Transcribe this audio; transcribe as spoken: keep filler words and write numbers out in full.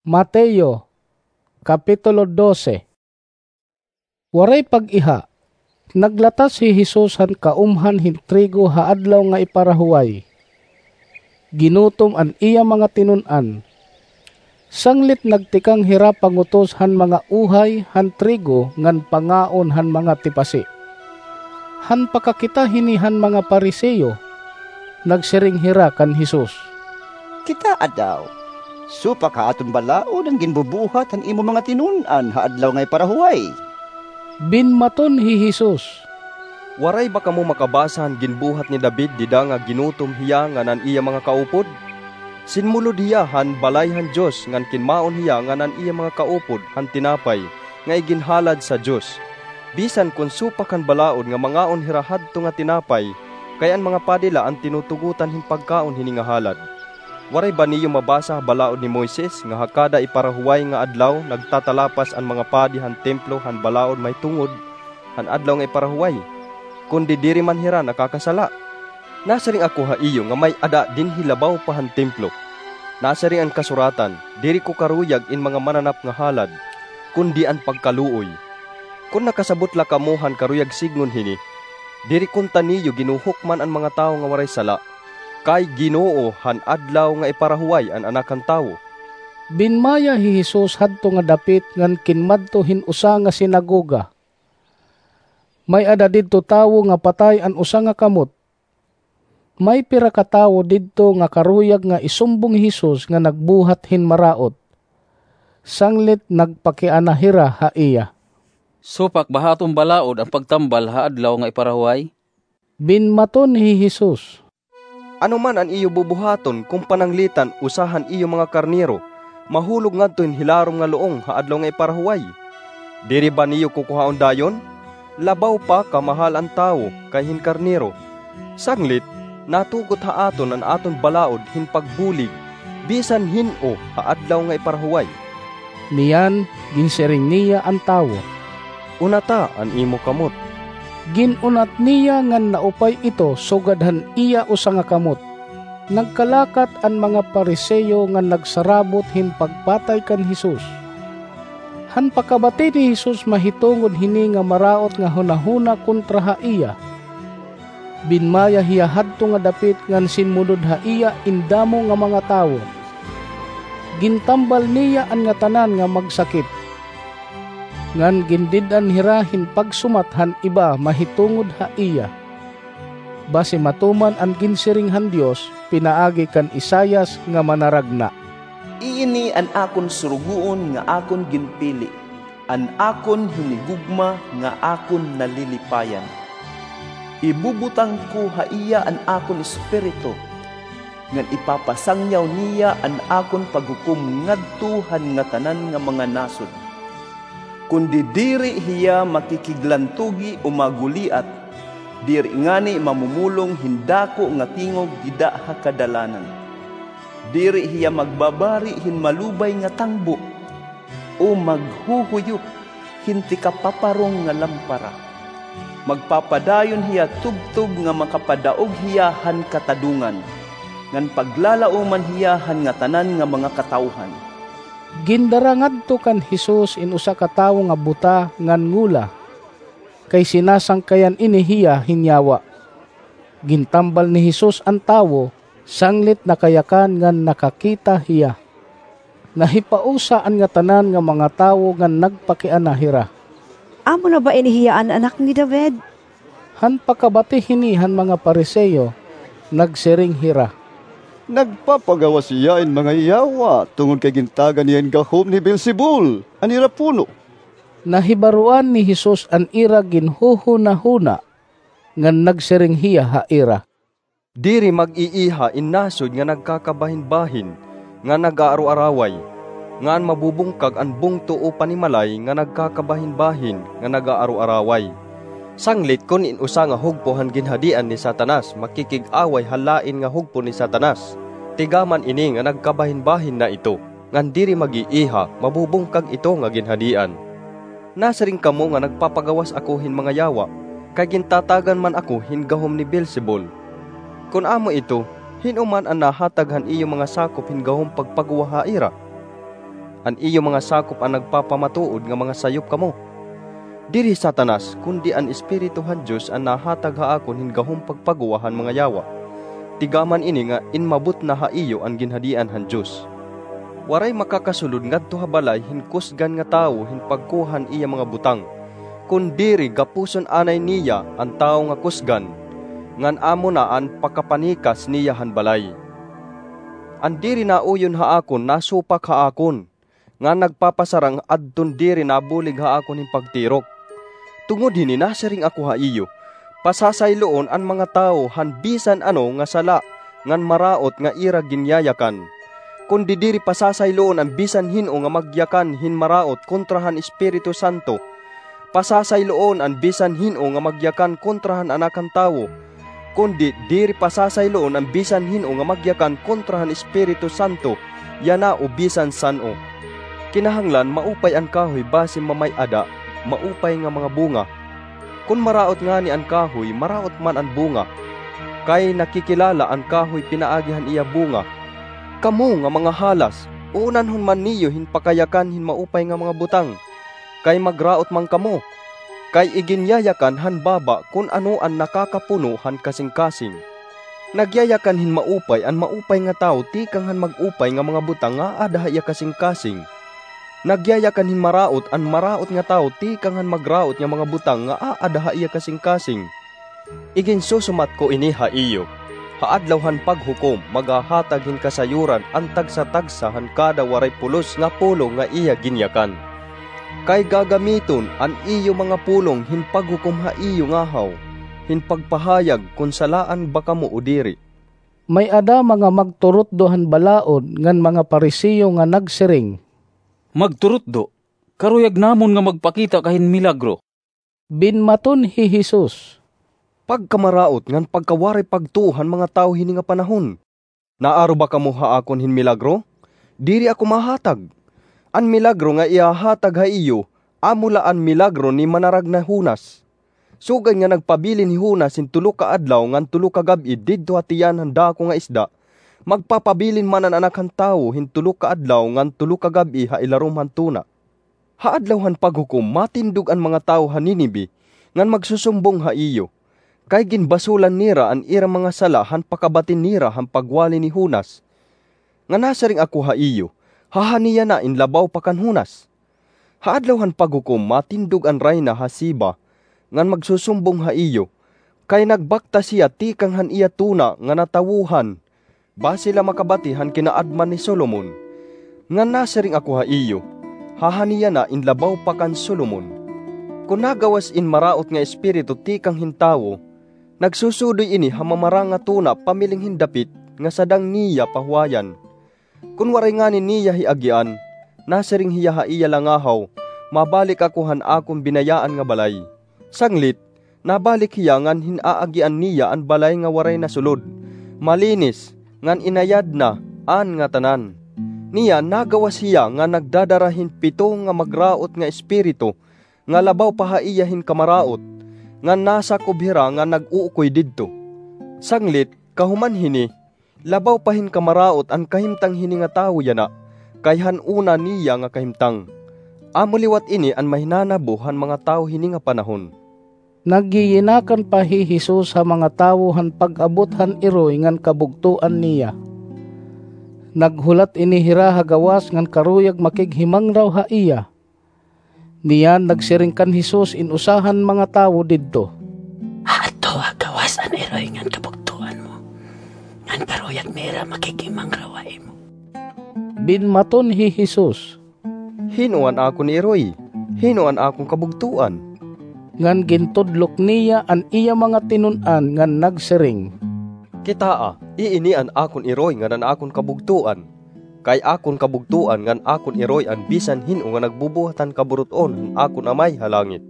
Mateo, Kapitulo dose. Waray pag-iha, naglatas hi Jesus han kaumhan hin trigo ha Adlaw nga Iparahuway. Ginutom an iya mga tinun-an. Sanglit nagtikang hira pangutos han mga uhay han trigo ngan pangaon han mga tipasi. Han pakakita hini han mga Pariseo, nagsiring hira kan Jesus, "Kitaa daw, supak ha aton balaod an ginbubuhat han imo mga tinun-an ha Adlaw nga Iparahuway." Binmaton hi Jesus, "Waray ba kamo makabasa han ginbuhat ni David dida nga ginutom hiya ngan an iya mga kaupod? Sinmulod hiya han balay han Dios ngan kinmaon hiya ngan an iya mga kaupod han tinapay nga iginhalad sa Dios. Bisan kon supak han balaod nga mangaon hira hadto nga tinapay, kay an mga padi la an tinutugotan hin pagkaon hini nga halad. Waray ba niyo mabasa ha balaod ni Moises nga ha kada iparahuway nga adlaw nagtatalapas an mga padi han templo han balaod mahitungod han Adlaw nga Iparahuway, kundi diri man hira nakakasala? Nasiring ako ha iyo nga may-ada dinhi labaw pa han templo. Nasiring an kasuratan, 'Diri ko karuyag in mga mananap nga halad, kundi an pagkaluoy.' Kon nakasabot la kamo han karuyag sidngon hini, diri kunta niyo ginhuhukman an mga tawo nga waray sala, kay Ginoo han Adlaw nga Iparahuway an Anak han Tawo." Binmaya hi Jesus hadto nga dapit ngan kinmadto hin usa nga sinagoga. May-ada didto tawo nga patay an usa nga kamot. May pira ka tawo didto nga karuyag nga isumbong hi Jesus nga nagbuhat hin maraot. Sanglit nagpakiana hira ha iya. "Supak ba ha aton balaod an pagtambal ha Adlaw nga Iparahuway?" Binmaton hi Jesus, "Ano man an iyo bubuhaton kon pananglitan usa han iyo mga karnero mahulog ngadto hin hilarom nga luong ha Adlaw nga Iparahuway? Diri ba niyo kukuhaon dayon? Labaw pa ka mahal an tawo kay hin karnero. Sanglit, natugot ha aton an aton balaod hin pagbulig bisan hin-o ha Adlaw nga Iparahuway." Niyan, ginsiring niya an tawo, "Unata an imo kamot." Gin-unat niya ngan naupay ito sugad han iya usa nga kamot. Nagkalakat an mga Pariseo ngan nagsarabot hin pagpatay kan Jesus. Han pakabati ni Jesus mahitungod hini nga maraot nga hunahuna kontra ha iya, binmaya hiya hadto nga dapit ngan sinmulod ha iya in damo nga mga tawo. Gintambal niya an ngatanan nga magsakit, ngan gindid-an hira hin pagsumat han iba mahitungod ha iya. Basi matuman an ginsiring han Dios pinaagi kan Isaias nga manaragna, "Ini an akon surugoon nga akon ginpili, an akon hinigugma nga akon nalilipayan. Ibubutang ko ha iya an akon Espiritu, ngan ipapasangyaw niya an akon paghukom ngadto han ngatanan nga mga nasod. Kundi diri hiya makikiglantugi o maguliat, diri ngani mamumulong hin dako nga tingog dida ha kadalanan. Diri hiya magbabari hin malubay nga tangbo, o maghuhuyop hin tikapaparong nga lampara. Magpapadayon hiya tubtob nga makapadaog hiya han katadongan, ngan paglalaoman hiya han ngatanan nga mga katawhan." Gindara ngadto kan Jesus in usa ka tawo nga buta ngan ngola, kay sinasangkayan ini hiya hin yawa. Gintambal ni Jesus an tawo, sanglit nakayakan ngan nakakita hiya. Nahipausa an ngatanan nga mga tawo ngan nagpakiana hira, "Amo na ba ini hiya an Anak ni David?" Han pakabati hini han mga Pariseo, nagsiring hira, "Nagpapagawas hiya hin mga yawa tungod kay gintagan hiya hin gahom ni Beelzebul, an ira puno." Nahibaroan ni Jesus an ira ginhuhunahuna, ngan nagsiring hiya ha ira, "Diri mag-iiha in nasod nga nagkakabahinbahin nga nag-aaroaraway, ngan mabubungkag an bungto o panimalay nga nagkakabahinbahin nga nag-aaroaraway. Sanglit kon in usa nga hugpo han ginhadian ni Satanas makikig-away ha lain nga hugpo ni Satanas, tigaman ini nga nagkabahinbahin na ito, ngan diri mag-iiha, mabubungkag ito nga ginhadian. Nasiring kamo nga nagpapagawas ako hin mga yawa, kay gintatagan man ako hin gahom ni Beelzebul. Kon amo ito, hin-o man an nahatag han iyo mga sakop hin gahom pagpagwa ha ira? An iyo mga sakop an nagpapamatuod nga mga sayop kamo. Diri hi Satanas, kundi an Espiritu han Dios an nahatag ha akon hin gahom pagpaguwa han mga yawa. Tigaman ini nga inmabot na ha iyo an Ginhadian han Dios. Waray makakasulod ngadto ha balay hin kusgan nga tawo hin pagkuha han iya mga butang, kon diri gapuson anay niya an tawo nga kusgan, ngan amo na an pakapanikas niya han balay. An diri nauyon ha akon nasupak ha akon, ngan nagpapasarang adton diri nabulig ha akon hin pagtirok. Tungod hini nasiring ako ha iyo, pasasayloon an mga tawo han bisan ano nga sala ngan maraot nga ira ginyayakan. Kundi diri pasasayloon an bisan hin-o nga magyakan hin maraot kontra han Espiritu Santo. Pasasayloon an bisan hin-o nga magyakan kontra han Anak han Tawo. Kundi diri pasasayloon an bisan hin-o nga magyakan kontra han Espiritu Santo, yana o bisan san-o. Kinahanglan maupay an kahoy basi mamay-ada maupay nga mga bunga. Kon maraot ngani an kahoy, maraot man an bunga, kay nakikilala an kahoy pinaagi han iya bunga. Kamo nga mga halas, uunanhon man niyo hin pakayakan hin maupay nga mga butang, kay magraot man kamo. Kay iginyayakan han baba kon ano an nakakapuno han kasingkasing. Nagyayakan hin maupay an maupay nga tawo tikang han mag-upay nga mga butang nga aada ha iya kasingkasing. Nagyayakan hin maraot an maraot nga tawo tikang han magraot nga mga butang nga aada ha iya kasingkasing. Iginsusumat ko ini ha iyo, ha Adlaw han Paghukom maghahatag hin kasayuran an tagsa-tagsa han kada waray pulos nga pulong nga iya ginyakan. Kay gagamiton an iyo mga pulong hin paghukom ha iyo ngahaw, hin pagpahayag kon salaan ba kamo o diri. May-ada mga magturutdo han balaod ngan mga Fariseo nga nagsiring, "Magturutdo, karuyag namon nga magpakita ka hin milagro." Binmaton hi Jesus, "Pagkamaraot ngan pagkawaray pagtuo han mga tawo hini nga panahon! Naaro ba kamo ha akon hin milagro? Diri ako mahatag. An milagro nga ihahatag ha iyo, amo la an milagro ni manaragna Jonas. Sugad nga nagpabilin hi Jonas hin tulo ka adlaw ngan tulo ka gab-i didto ha tiyan han dako nga isda, magpapabilin man an Anak han Tawo hin tulo ka adlaw ngan tulo ka gab-i ha ilarom han tuna. Ha Adlaw han Paghukom matindog an mga tawo ha Ninive ngan magsusumbong ha iyo, kay ginbasolan nira an ira mga sala han pakabati nira han pagwali ni Jonas. Nga nasiring ako ha iyo, haha niya na in labaw pa kan Jonas. Ha Adlaw han Paghukom matindog an rayna ha Sheba ngan magsusumbong ha iyo, kay nagbaktas hiya tikang han iya tuna nga natawohan, basi la makabati han kinaadman ni Solomon. Ngan nasiring ako ha iyo, haha niya na in labaw pa kan Solomon. Kon nagawas in maraot nga espiritu tikang hin tawo, nagsusudoy ini ha mamarang nga tuna pamiling hin dapit nga sadang niya pahuwayan. Kon waray ngani niya hiagian, nasiring hiya ha iya langahaw, mabalik ako han akon binayaan nga balay. Sanglit, nabalik hiya ngan hin-aagian niya an balay nga waray nasulod, malinis, ngan inayad na an ngatanan. Niya nagawas hiya nga nagdadara hin pito nga magraot nga espiritu nga labaw pa ha iya hin kamaraot, ngan nasakob hira nga nag-uukoy didto. Sanglit, kahuman hini, labaw pa hin kamaraot an kahimtang hini nga tawo yana, kay han una niya nga kahimtang. Amo liwat ini an mahinanabo han mga tawo hini nga panahon." Nagyiyinakan pa hi Jesus ha mga tawo han pag-abot han iroy ngan kabugtoan niya. Naghulat ini hira ha gawas ngan karuyag makighimangraw ha iya. Niyan nagsiring kan Jesus in usa han mga tawo didto, "Haadto ha gawas an iroy ngan kabugtoan mo, ngan karuyag nira makighimangraw ha imo." Binmaton hi Jesus, "Hin-o an akon iroy? Hin-o an akon kabugtoan?" Ngan gintudlok niya an iya mga tinun-an ngan nagsiring, "Kitaa, iini an akon iroy ngan an akon kabugtoan. Kay akon kabugtoan ngan akon iroy an bisan hin-o nga nagbubuhat han kaburut-on han akon Amay ha langit."